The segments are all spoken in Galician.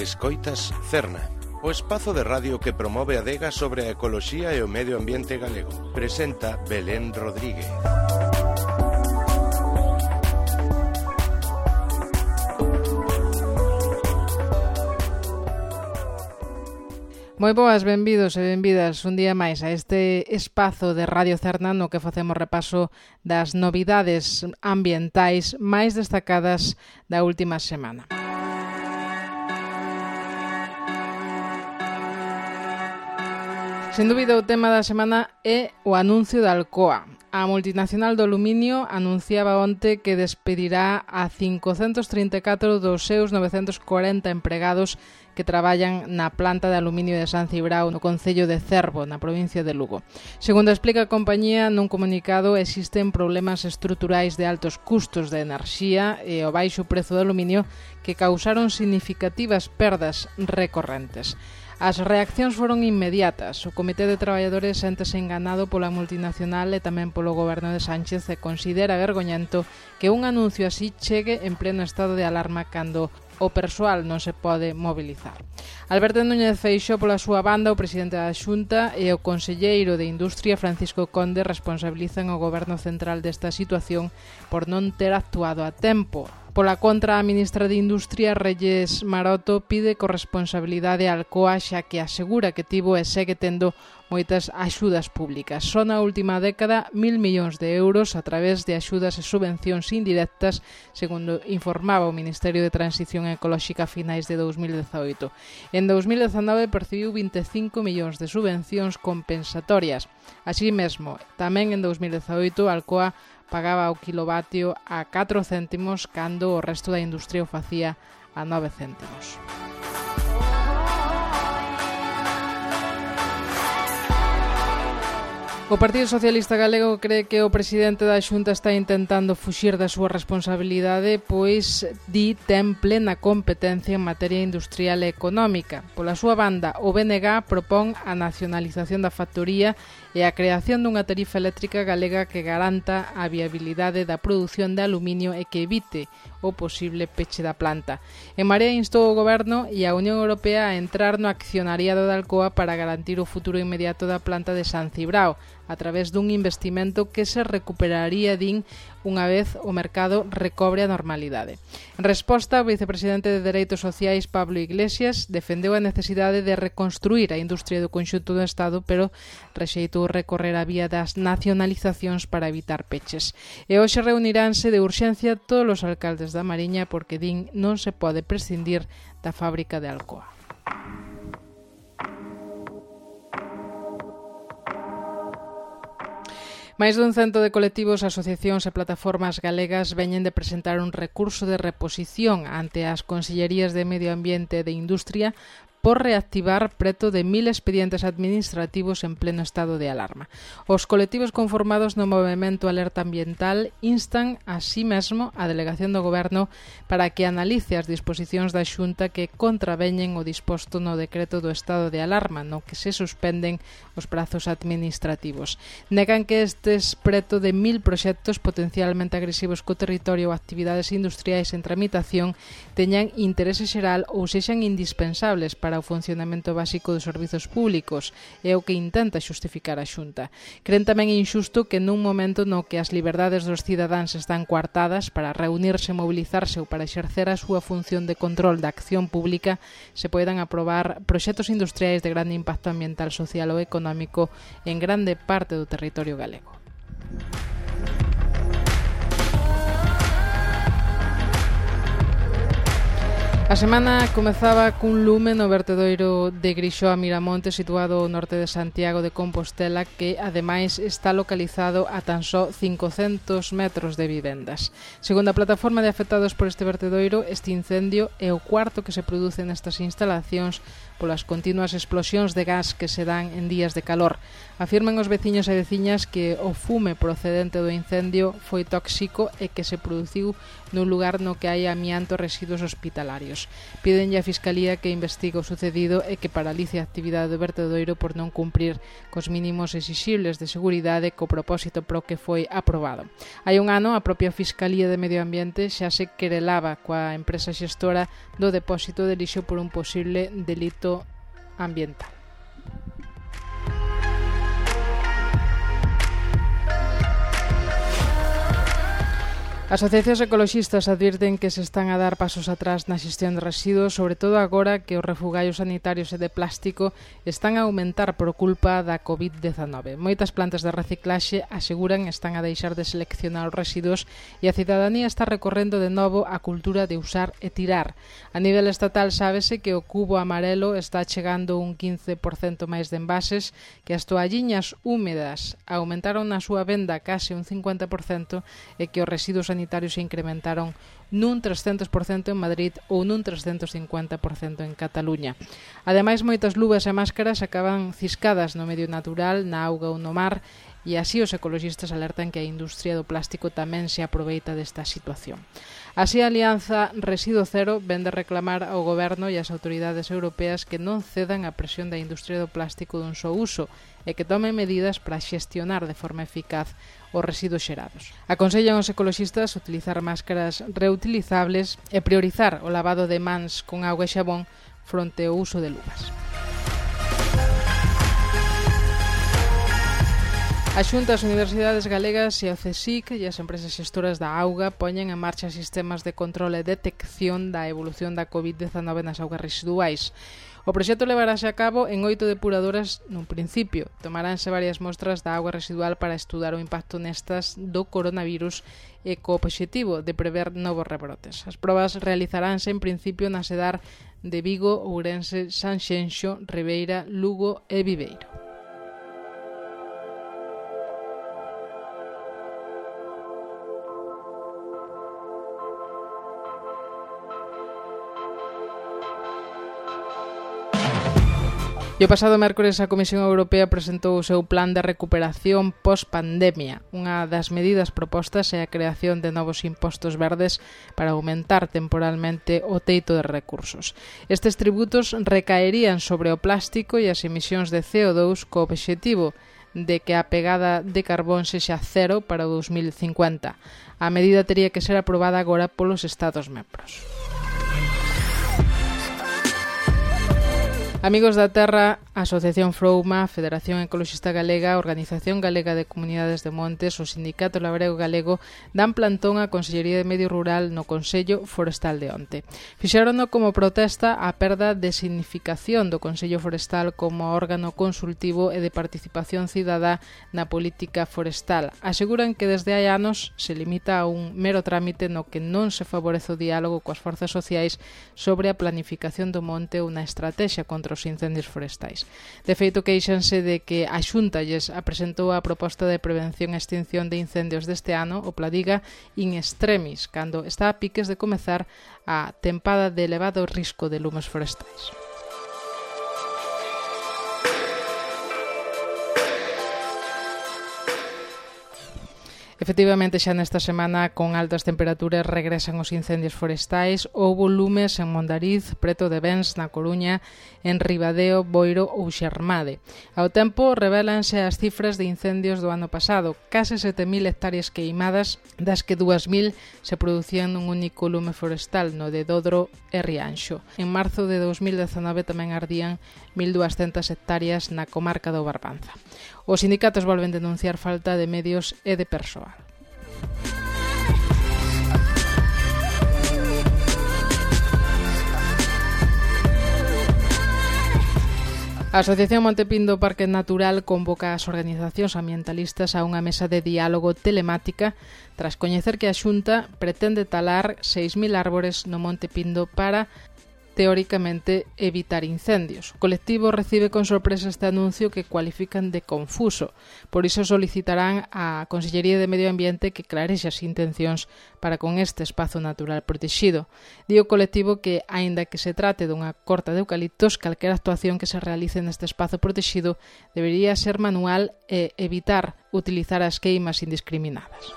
Escoitas Cerna, o espazo de radio que promove a adega sobre a ecoloxía e o medio ambiente galego. Presenta Belén Rodríguez. Moi boas, benvidos e benvidas un día máis a este espazo de Radio Cerna no que facemos repaso das novidades ambientais máis destacadas da última semana. Sen dúbida, o tema da semana é o anuncio da Alcoa. A multinacional do aluminio anunciaba onte que despedirá a 534 dos seus 940 empregados que traballan na planta de aluminio de San Cibrao no concello de Cervo, na provincia de Lugo. Segundo explica a compañía nun comunicado, existen problemas estruturais de altos custos de enerxía e o baixo prezo do aluminio que causaron significativas perdas recorrentes. As reaccións foron inmediatas. O Comité de Traballadores séntese enganado pola multinacional e tamén polo goberno de Sánchez e considera vergoñento que un anuncio así chegue en pleno estado de alarma cando o persoal non se pode mobilizar. Alberto Núñez Feixóo, pola súa banda, o presidente da Xunta e o conselleiro de Industria, Francisco Conde, responsabilizan o goberno central desta situación por non ter actuado a tempo. Pola contra, a ministra de Industria, Reyes Maroto, pide corresponsabilidade á Alcoa xa que asegura que tivo e segue tendo moitas axudas públicas. Só na última década 1.000 millóns de euros a través de axudas e subvencións indirectas, segundo informaba o Ministerio de Transición Ecolóxica a finais de 2018. En 2019 percibiu 25 millóns de subvencións compensatorias. Así mesmo, tamén en 2018 a Alcoa pagaba o kilovatio a 4 céntimos cando o resto da industria o facía a 9 céntimos. O Partido Socialista Galego cree que o presidente da Xunta está intentando fuxir da súa responsabilidade, pois di ten plena competencia en materia industrial e económica. Pola súa banda, o BNG propón a nacionalización da factoría e a creación dunha tarifa eléctrica galega que garanta a viabilidade da produción de aluminio e que evite o posible peche da planta. En Marea instou o Goberno e a Unión Europea a entrar no accionariado da Alcoa para garantir o futuro inmediato da planta de San Cibrao, a través dun investimento que se recuperaría, din, unha vez o mercado recobre a normalidade. En resposta, o vicepresidente de Dereitos Sociais, Pablo Iglesias, defendeu a necesidade de reconstruir a industria do conxunto do Estado, pero rexeitou recorrer a vía das nacionalizacións para evitar peches. E hoxe reuniránse de urxencia todos os alcaldes da Mariña porque, din, non se pode prescindir da fábrica de Alcoa. Máis dun cento de colectivos, asociacións e plataformas galegas veñen de presentar un recurso de reposición ante as Consellerías de Medio Ambiente e de Industria por reactivar preto de 1.000 expedientes administrativos en pleno estado de alarma. Os colectivos conformados no Movemento Alerta Ambiental instan así mesmo a Delegación do Goberno para que analice as disposicións da Xunta que contraveñen o disposto no decreto do estado de alarma, no que se suspenden os prazos administrativos. Negan que estes preto de 1.000 proxectos potencialmente agresivos co territorio ou actividades industriais en tramitación teñan interese xeral ou sexan indispensables para o funcionamento básico dos servizos públicos, é o que intenta xustificar a Xunta. Cren tamén inxusto que nun momento no que as liberdades dos cidadáns están coartadas para reunirse, mobilizarse ou para exercer a súa función de control da acción pública, se poidan aprobar proxectos industriais de grande impacto ambiental, social ou económico en grande parte do territorio galego. A semana comezaba cun lume no vertedoiro de Grixoa Miramonte, situado ao norte de Santiago de Compostela, que ademais está localizado a tan só 500 metros de vivendas. Segundo a plataforma de afectados por este vertedoiro, este incendio é o cuarto que se produce nestas instalacións polas continuas explosións de gas que se dan en días de calor. Afirman os veciños e veciñas que o fume procedente do incendio foi tóxico e que se produciu nun lugar no que hai amianto e residuos hospitalarios. Pídenlle á Fiscalía que investigue o sucedido e que paralice a actividade do vertedoiro por non cumprir cos mínimos exixibles de seguridade co propósito pro que foi aprobado. Hai un ano, a propia Fiscalía de Medio Ambiente xa se querelaba coa empresa xestora do depósito de lixo por un posible delito ambiental. Asociacións ecoloxistas advirten que se están a dar pasos atrás na xestión de residuos, sobre todo agora que os refugallos sanitarios e de plástico están a aumentar por culpa da COVID-19. Moitas plantas de reciclaxe aseguran están a deixar de seleccionar os residuos e a cidadanía está recorrendo de novo a cultura de usar e tirar. A nivel estatal sábese que o cubo amarelo está chegando un 15% máis de envases, que as toalliñas húmedas aumentaron na súa venda case un 50% e que os residuos sanitarios se incrementaron nun 300% en Madrid ou nun 350% en Cataluña. Ademais, moitas luvas e máscaras acaban ciscadas no medio natural, na auga ou no mar, e así os ecoloxistas alertan que a industria do plástico tamén se aproveita desta situación. Así, a Alianza Residuo Cero vén de reclamar ao Goberno e ás autoridades europeas que non cedan a presión da industria do plástico dun só uso e que tomen medidas para xestionar de forma eficaz os residuos xerados. Aconsellan aos ecoloxistas utilizar máscaras reutilizables e priorizar o lavado de mans con auga e xabón fronte ao uso de luvas. A Xunta, as universidades galegas e o CSIC e as empresas xestoras da auga poñen en marcha sistemas de control e detección da evolución da COVID-19 nas augas residuais. O proxecto levarase a cabo en 8 depuradoras nun principio. Tomaránse varias mostras da auga residual para estudar o impacto nestas do coronavirus e co obxectivo de prever novos rebrotes. As probas realizaránse en principio na Sedar de Vigo, Ourense, Sanxenxo, Ribeira, Lugo e Viveiro. E o pasado mércores a Comisión Europea presentou o seu plan de recuperación post-pandemia. Unha das medidas propostas é a creación de novos impostos verdes para aumentar temporalmente o teito de recursos. Estes tributos recaerían sobre o plástico e as emisións de CO2 co obxectivo de que a pegada de carbón sexa cero para o 2050. A medida tería que ser aprobada agora polos Estados membros. Amigos da Terra, Asociación Frouma, Federación Ecoloxista Galega, Organización Galega de Comunidades de Montes, o Sindicato Labrego Galego dan plantón á Consellería de Medio Rural no Consello Forestal de onte. Fixérono como protesta á perda de significación do Consello Forestal como órgano consultivo e de participación cidadá na política forestal. Aseguran que desde hai anos se limita a un mero trámite no que non se favorece o diálogo coas forzas sociais sobre a planificación do monte ou unha estrategia contra os incendios forestais. De feito, queixanse de que a Xunta lles apresentou a proposta de prevención e extinción de incendios deste ano, o Pladiga in extremis, cando está a piques de comezar a tempada de elevado risco de lumes forestais. Efectivamente, xa nesta semana, con altas temperaturas, regresan os incendios forestais. Houbo lumes en Mondariz, preto de Bens, na Coruña, en Ribadeo, Boiro ou Xermade. Ao tempo, revélanse as cifras de incendios do ano pasado. Case 7.000 hectáreas queimadas, das que 2.000 se producían nun único lume forestal, no de Dodro e Rianxo. En marzo de 2019 tamén ardían 1.200 hectáreas na comarca do Barbanza. Os sindicatos volven denunciar falta de medios e de persoal. A Asociación Montepindo Parque Natural convoca as organizacións ambientalistas a unha mesa de diálogo telemática tras coñecer que a Xunta pretende talar 6.000 árbores no Monte Pindo para teóricamente evitar incendios. O colectivo recibe con sorpresa este anuncio que cualifican de confuso. Por iso solicitarán á Consellería de Medio Ambiente que clarexe as intencións para con este espazo natural protegido. Di o colectivo que, aínda que se trate dunha corta de eucaliptos, calquera actuación que se realice neste espazo protegido debería ser manual e evitar utilizar as queimas indiscriminadas.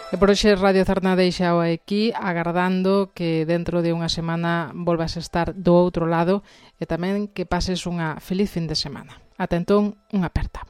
E por hoxe Radio Zarna deixao aquí, agardando que dentro de unha semana volvas a estar do outro lado e tamén que pases unha feliz fin de semana. Ata entón, unha aperta.